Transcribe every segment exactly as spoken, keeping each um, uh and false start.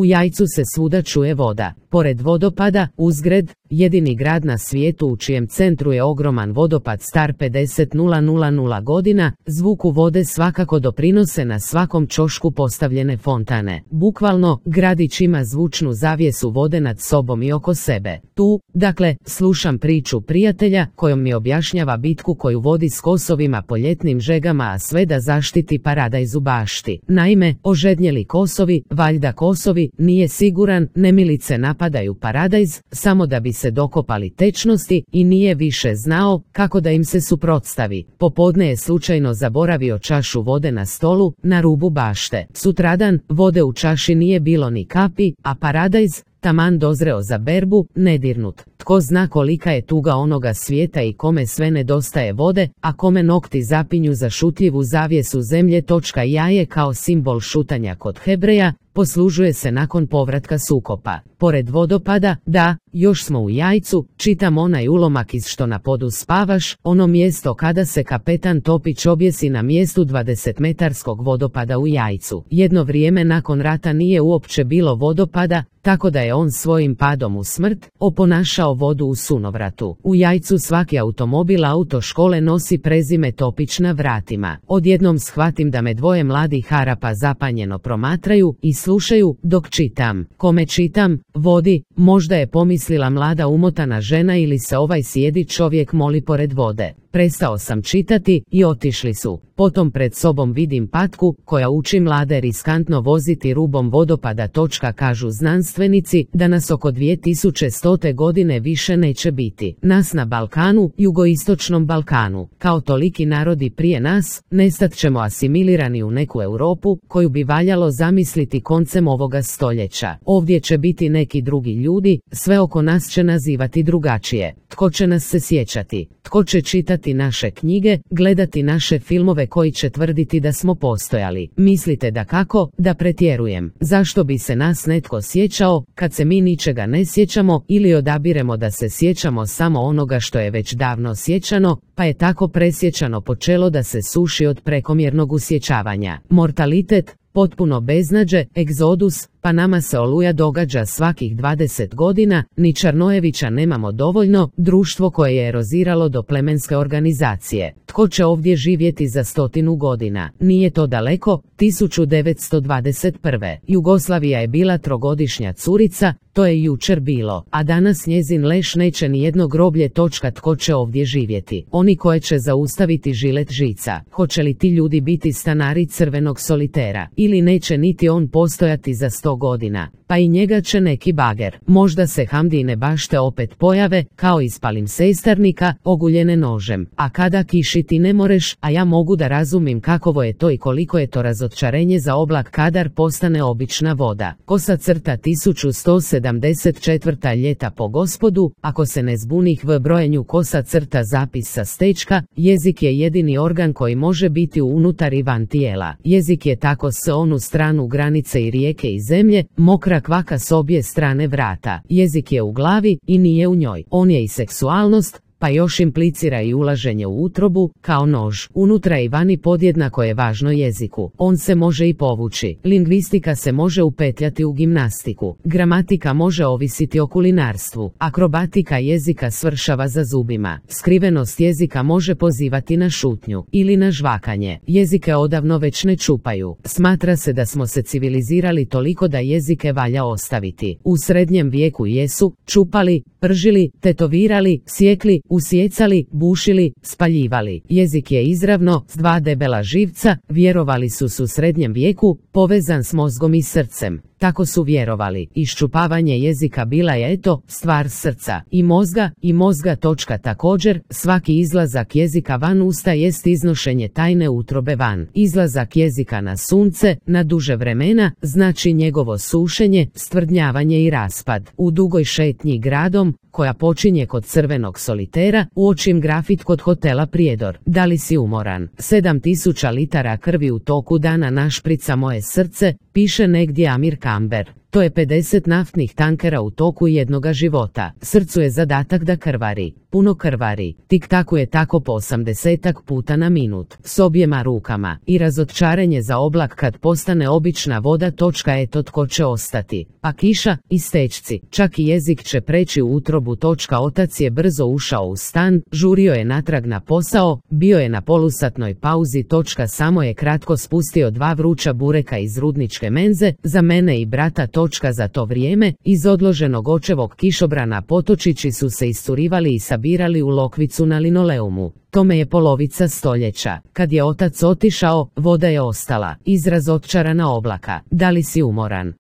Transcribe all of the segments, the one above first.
U Jajcu se svuda čuje voda. Pored vodopada, Uzgred, jedini grad na svijetu u čijem centru je ogroman vodopad star pedeset hiljada godina, zvuku vode svakako doprinose na svakom ćošku postavljene fontane. Bukvalno, gradić ima zvučnu zavjesu vode nad sobom i oko sebe. Tu, dakle, slušam priču prijatelja kojom mi objašnjava bitku koju vodi s kosovima po ljetnim žegama, a sve da zaštiti paradajz u bašti. Naime, ožednjeli kosovi, valjda kosovi, nije siguran, nemilice napadaju paradajz, samo da bi se dokopali tečnosti i nije više znao kako da im se suprotstavi. Popodne je slučajno zaboravio čašu vode na stolu, na rubu bašte. Sutradan, vode u čaši nije bilo ni kapi, a paradajz, taman dozreo za berbu, nedirnut. Tko zna kolika je tuga onoga svijeta i kome sve nedostaje vode, a kome nokti zapinju za šutljivu zavjesu zemlje. Točka jaje kao simbol šutanja kod Hebreja, poslužuje se nakon povratka sukopa. Pored vodopada, da, još smo u Jajcu, čitam onaj ulomak iz Što na podu spavaš, ono mjesto kada se kapetan Topić objesi na mjestu dvadesetmetarskog vodopada u Jajcu. Jedno vrijeme nakon rata nije uopće bilo vodopada, tako da je on svojim padom u smrt oponašao vodu u sunovratu. U Jajcu svaki automobil autoškole nosi prezime Topić na vratima. Odjednom shvatim da me dvoje mladih Harapa zapanjeno promatraju i slušaju dok čitam. Kome čitam? Vodi, možda je pomislila mlada umotana žena ili se ovaj sjedi čovjek moli pored vode. Prestao sam čitati i otišli su. Potom pred sobom vidim patku koja uči mlade riskantno voziti rubom vodopada. Točka kažu znanstvenici da nas oko dvije tisuće stote godine više neće biti. Nas na Balkanu, jugoistočnom Balkanu, kao toliki narodi prije nas, nestat ćemo asimilirani u neku Europu koju bi valjalo zamisliti koncem ovoga stoljeća. Ovdje će biti neki drugi ljudi, sve oko nas će nazivati drugačije. Tko će nas se sjećati? Tko će čitati naše knjige, gledati naše filmove koji će tvrditi da smo postojali? Mislite da kako, da pretjerujem? Zašto bi se nas netko sjećao, kad se mi ničega ne sjećamo ili odabiremo da se sjećamo samo onoga što je već davno sjećano, pa je tako presjećano počelo da se suši od prekomjernog usjećavanja. Mortalitet, potpuno beznađe, egzodus, pa nama se Oluja događa svakih dvadeset godina, ni Čarnojevića nemamo dovoljno, društvo koje je eroziralo do plemenske organizacije. Tko će ovdje živjeti za stotinu godina? Nije to daleko, tisuću devetsto dvadeset prve. Jugoslavija je bila trogodišnja curica, to je jučer bilo, a danas njezin leš neće ni jedno groblje. Točka. Tko će ovdje živjeti? Oni koje će zaustaviti žilet žica. Hoće li ti ljudi biti stanari crvenog solitera? Ili neće niti on postojati za sto godina? Pa i njega će neki bager. Možda se Hamdine bašte opet pojave, kao iz palimpsestarnika, oguljene nožem. A kada kišiti ne moreš, a ja mogu da razumim kakovo je to i koliko je to razočarenje za oblak kadar postane obična voda. Kosa crta tisuću sto sedamdeset četvrta ljeta po gospodu, ako se ne zbunih v brojenju kosa crta zapis sa stečka, jezik je jedini organ koji može biti unutar i van tijela. Jezik je tako s onu stranu granice i rijeke i zemlje, mokra kvaka s obje strane vrata. Jezik je u glavi i nije u njoj. On je i seksualnost, pa još implicira i ulaženje u utrobu, kao nož. Unutra i vani podjednako je važno jeziku. On se može i povući. Lingvistika se može upetljati u gimnastiku. Gramatika može ovisiti o kulinarstvu. Akrobatika jezika svršava za zubima. Skrivenost jezika može pozivati na šutnju ili na žvakanje. Jezike odavno već ne čupaju. Smatra se da smo se civilizirali toliko da jezike valja ostaviti. U srednjem vijeku jesu čupali, pržili, tetovirali, sjekli, usjecali, bušili, spaljivali. Jezik je izravno, s dva debela živca, vjerovali su su u srednjem vijeku, povezan s mozgom i srcem. Tako su vjerovali. Iščupavanje jezika bila je eto, stvar srca i mozga i mozga. Točka. Također, svaki izlazak jezika van usta jest iznošenje tajne utrobe van. Izlazak jezika na sunce, na duže vremena, znači njegovo sušenje, stvrdnjavanje i raspad. U dugoj šetnji gradom, koja počinje kod crvenog solitera, uočim grafit kod hotela Prijedor. Da li si umoran? Sedam tisuća litara krvi u toku dana našprica moje srce, piše negdje Amir Kamber. To je pedeset naftnih tankera u toku jednoga života. Srcu je zadatak da krvari. Puno krvari. Tik-takuje tako po osamdesetak puta na minut. S objema rukama. I razočarenje za oblak kad postane obična voda. Točka eto tko će ostati. Pa kiša i stečci. Čak i jezik će preći u utrobu. Točka otac je brzo ušao u stan. Žurio je natrag na posao. Bio je na polusatnoj pauzi. Točka samo je kratko spustio dva vruća bureka iz rudničke menze. Za mene i brata. Točka za to vrijeme. Iz odloženog očevog kišobrana potočići su se iscurivali i sabirali u lokvicu na linoleumu. Tome je polovica stoljeća. Kad je otac otišao, voda je ostala. Izraz otčarana oblaka. Da li si umoran?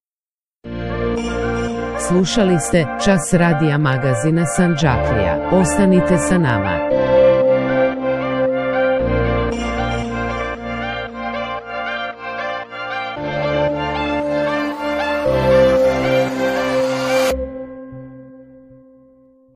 Slušali ste Čas radija magazina Sandžaklija. Ostanite sa nama.